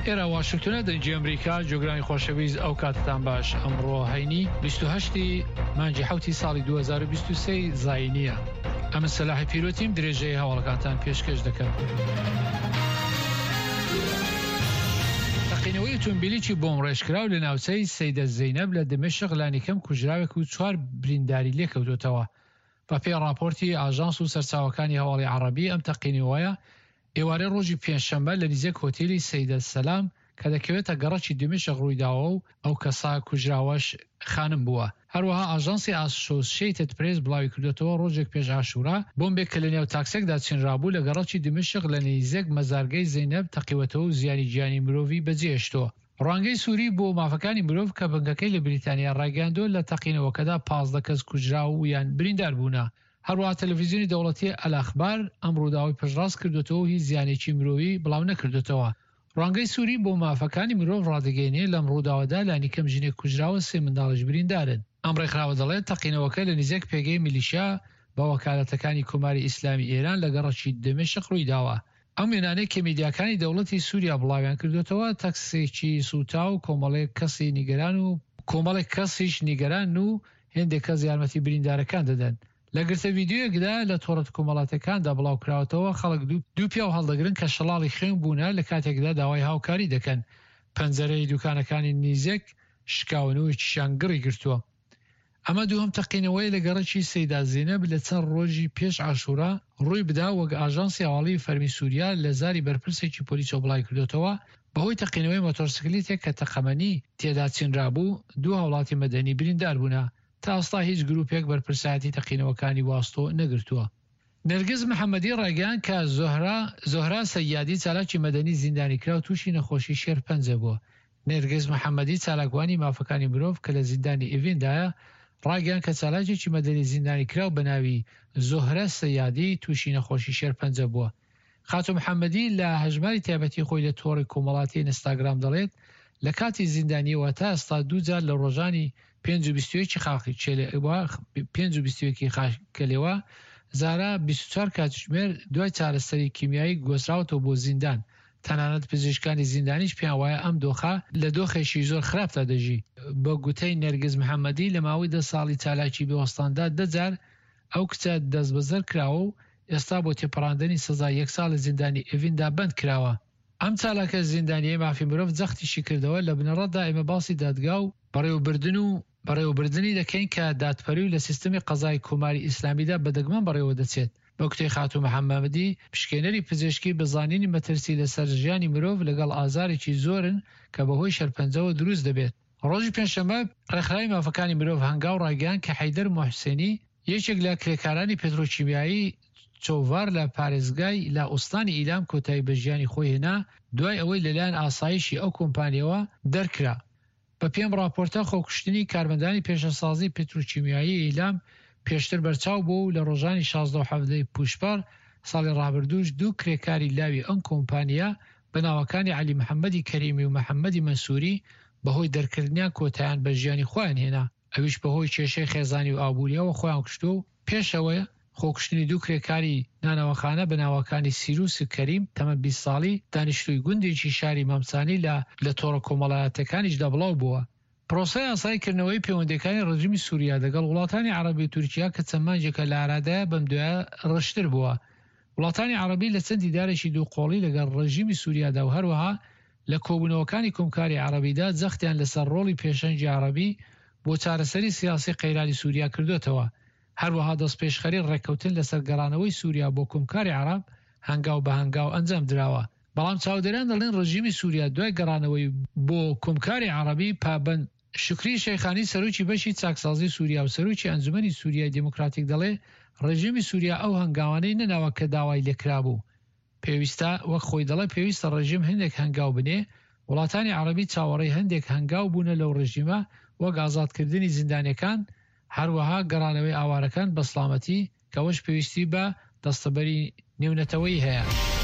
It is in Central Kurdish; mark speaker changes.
Speaker 1: ئێرە واشنگتۆنە دەنگی ئەمریکا جۆگرانی خۆشەویست ئەو کاتتان باش ئەمڕۆ هەینی 28 مانگی حوتی ساڵی 2023 زینیە ئەمن سەلاحی پیرۆتیم درێژەی هەواڵەکانتان پێشکەش دەکەم. تەقینەوەی ئۆتۆمبیلێکی بۆمڕێژکراو لە ناوچەی سەیدە زەینەب لە دمشق لانیکەم کوژراوێک و چوار برینداری لێکەوتووەتەوە. بەپێی ڕاپۆرتی ئاژانس و سەرچاوەکانی هەواڵی عەڕەبی ئەم تەقینەوەیە ئێوارەی ڕۆژی پێنجشەممە لە نزیک هۆتێلی سەیدە سەلام کە دەکەوێتە گەڕەکی دیمەشق ڕوویداوە و ئەو کەسە کوژراوەش خانم بووە. هەروەها ئاژانسی ئاسۆشیەیتد پرێس بڵاویکردۆتەوە ڕۆژێک پێش عاشورا بۆمبێک کە لەنێو تاکسێکدا چنرابوو لە گەڕەکی دیمەشق لە نیزک مەزارگەی زەینەب تەقیوەتەوە و زیانی گیانی مرۆڤی بەجێهێشتووە. ڕوانگەی سوری بۆ مافەکانی مرۆڤ کە بنکەکەی لە بریتانیا ڕایگەیاندووە لە تەقینەوەکەدا 15 کەس کوژراو و یان بریندار بوونە. هەروەها تەلەفیزیۆنی دەوڵەتی ئەلئەخبار ئەم ڕووداوەی پشتڕاست کردۆتەوە و هیچ زیانێکی مرۆیی بڵاو نەکردۆتەوە. ڕوانگەی سوری بۆ مافەکانی مرۆڤ ڕادەگەیەنێ لەم ڕووداوەدا لانیکەم ژنێک کوژراوە سێ منداڵیش بریندارن. ئەم ڕێکخراوە دەڵێت تەقینەوەکە لە نزیک پێگەی میلیشیا بە وەکالەتەکانی کۆماری ئیسلامی ئێران لە گەڕەکی دمشق ڕوویداوە. ئەم وێنانەی کە میدیاکانی دەوڵەتی سوریا بڵاویان کردۆتەوە تەکسێکی سووتاو و کۆمەڵێک کەسی نیگەران و کۆمەڵێک کەسیش نیگەرانن و هێندێک کەس یارمەتی بریندارەکان دەدەن. لە گرتە ڤیدیۆیەکدا لە تۆڕە کۆمەڵاتیەکاندا بڵاوکراوەتەوە، خەڵک دوو پیاو هەڵدەگرن کە شەڵاڵی خوێن بوونە لە کاتێکدا داوای هاوکاری دەکەن. پەنجەرەی دوکانەکانی نیزێک شکاون و یەکیشیان گڕی گرتووە. ئەمە دووهەم تەقینەوەیە لە گەڕەکی سەیدا زینەب لە چەند ڕۆژی پێش عاشورا ڕووی بدا، وەک ئاژانسی هەواڵیی فەرمی سوریا لە زاری بەرپرسێکی پۆلیسەوە بڵاویکردۆتەوە، بەهۆی تەقینەوەی مۆتۆرسکلیتێک کە تەقەمەنی تێدا چنرابوو، دوو هاوڵاتی مەدەنی بریندار بوونە. تا ئێستا هیچ گروپێک بەرپرسایەتی تەقینەوەکانی واستۆ نەگرتووە. نێرگز محەمەدی ڕایگەیاند کە زۆهرا زۆهرا سەیادی چالاکی مەدەنی زیندانیکراو تووشی نەخۆشی شێرپەنجە بووە. نێرگز محەمەدی چالاکوانی مافەکانی مرۆڤ کە لە زیندانی ئێڤیندایە ڕایگەیاند کە چالاکێکی مەدەنی زیندانیکراو بە ناوی زۆهرە سەیادی تووشی نەخۆشی شێرپەنجە بووە. خاتوو محەمەدی لە هەژماری تایبەتی خۆی لە تۆڕی کۆمەڵاتی ئینستاگرام دەڵێت، لە کاتی زیندانییەوە تا ئێستا دوو جار لە ڕۆژانی پێنج و 21 پێنج و 21 ی خاکەلێوە زارا 24 کاتژمێر دوای چارەسەری کیمیایی گۆزراوەتەوە بۆ زیندان، تەنانەت پزیشکانی زیندانیش پێیان وایە ئەم دۆخە لە دۆخێکی زۆر خراپدا دەژی. بە گوتەی نێرگز محەمەدی لە ماوەی دە ساڵی چالاکی بێوەستاندا دە جار ئەو کچە دەستبەسەر کراوە و ئێستا بۆ تێپەڕاندنی سزای یەک ساڵ لە زیندانی ئێڤیندا بەند کراوە. ئەم چالاکە زیندانییەی مافی مرۆڤ جەختیشی کردەوە، لە بنەڕەتدا ئێمە باسی دادگا و بەڕێوەبردن و بەڕێوەبردنی دەکەین کە دادپەروی لە سیستمی قەزای کۆماری ئیسلامیدا بە دەگمەن بەڕێوە دەچێت. بە گوتەی خاتوو محەممەدی، پشکێنەری پزیشکی بە زانینی مەترسی لەسەر ژیانی مرۆڤ لەگەڵ ئازارێکی زۆرن کە بەهۆی شێرپەنجەوە دروست دەبێت. ڕۆژی پێنجشەممە، ڕێکخراوی مافەکانی مرۆڤ هەنگاو ڕایگەیاند کە حەیدەر موحسێنی، یەکێک لە کرێکارانی پێترۆکیمیایی چۆڤار لە پارێزگای لە ئوستانی ئیلام کۆتایی بە ژیانی خۆی هێنا دوای ئەوەی لەلایەن ئاسایشی ئەو کۆمپانیەوە دەرکرا. بەپێی ئەم ڕاپۆرتە، خۆکوشتنی کارمەندانی پێشەسازی پتروکیمیایی ئیلام پێشتر بەرچاو بووە و لە ڕۆژانی 16 و 17 ی پووشپەڕ ساڵی ڕابردووش دوو کرێکاری لاوی ئەم کۆمپانیا بە ناوەکانی عەلی محەممەدی کەریمی و محەممەدی مەنسووری بەهۆی دەرکردنیان کۆتایان بە ژیانی خۆیان هێنا، ئەویش بەهۆی کێشەی خێزانی و ئابوورییەوە خۆیان کوشتووە و پێش ئەوە خۆکوشتنی دوو کرێکاری نانەواخانە بە ناوەکانی سیروس کەریم تەمەن 20 ساڵی دانیشتووی گوندێکی شاری مامسانی لە لە تۆڕە کۆمەڵایەتیەکانیشدا بڵاو بووە. پرۆسەی ئاسایی کردنەوەی پەیوەندیەکانی ڕژیمی سوریا دەگەڵ وڵاتانی عەڕەبی و تورکیا کە چەند مانگێکە لە ئارادایە بەم دوایە ڕژتر بووە. وڵاتانی عەڕەبی لە چەند دیدارێکی دوو قۆڵی لەگەڵ ڕژیمی سوریادا و هەروەها لە کۆبوونەوەکانی کۆمکاری عەڕەبیدا جەختیان لەسەر ڕۆڵی پێشەنگی عەڕەبی بۆ چارەسەری سیاسی قەیرانی سوریا کردۆتەوە. هەروەها دەستپێشخەری ڕێککەوتن لەسەر گەڕانەوەی سوریا بۆ کۆمکاری عەڕەب هەنگاو بە هەنگاو ئەنجام دراوە. بەڵام چاودێران دەڵێن ڕژیمی سوریا دوای گەڕانەوەی بۆ کۆمکاری عەڕەبی پابەند شوکری شەیخانی سەرۆکی بەشی چاکسازی سوریا و سەرۆکی ئەنجومەنی سوریای دێموکراتیک دەڵێ ڕژیمی سوریا ئەو هەنگاوانەی نەناوە کە داوای لێکرابوو. پێویستە، وەک خۆی دەڵێ پێویستە ڕژیم هەندێک هەنگاو بنێ، وڵاتانی عەڕەبی چاوەڕێی هەندێک هەنگاو بوونە لەو ڕژیمە وەک ئازادکردنی زیندانیەکان، هەروەها گەڕانەوەی ئاوارەکان بە سڵامەتی، کە ئەوەش پێویستی بە دەستەبەری نێونەتەوەیی هەیە.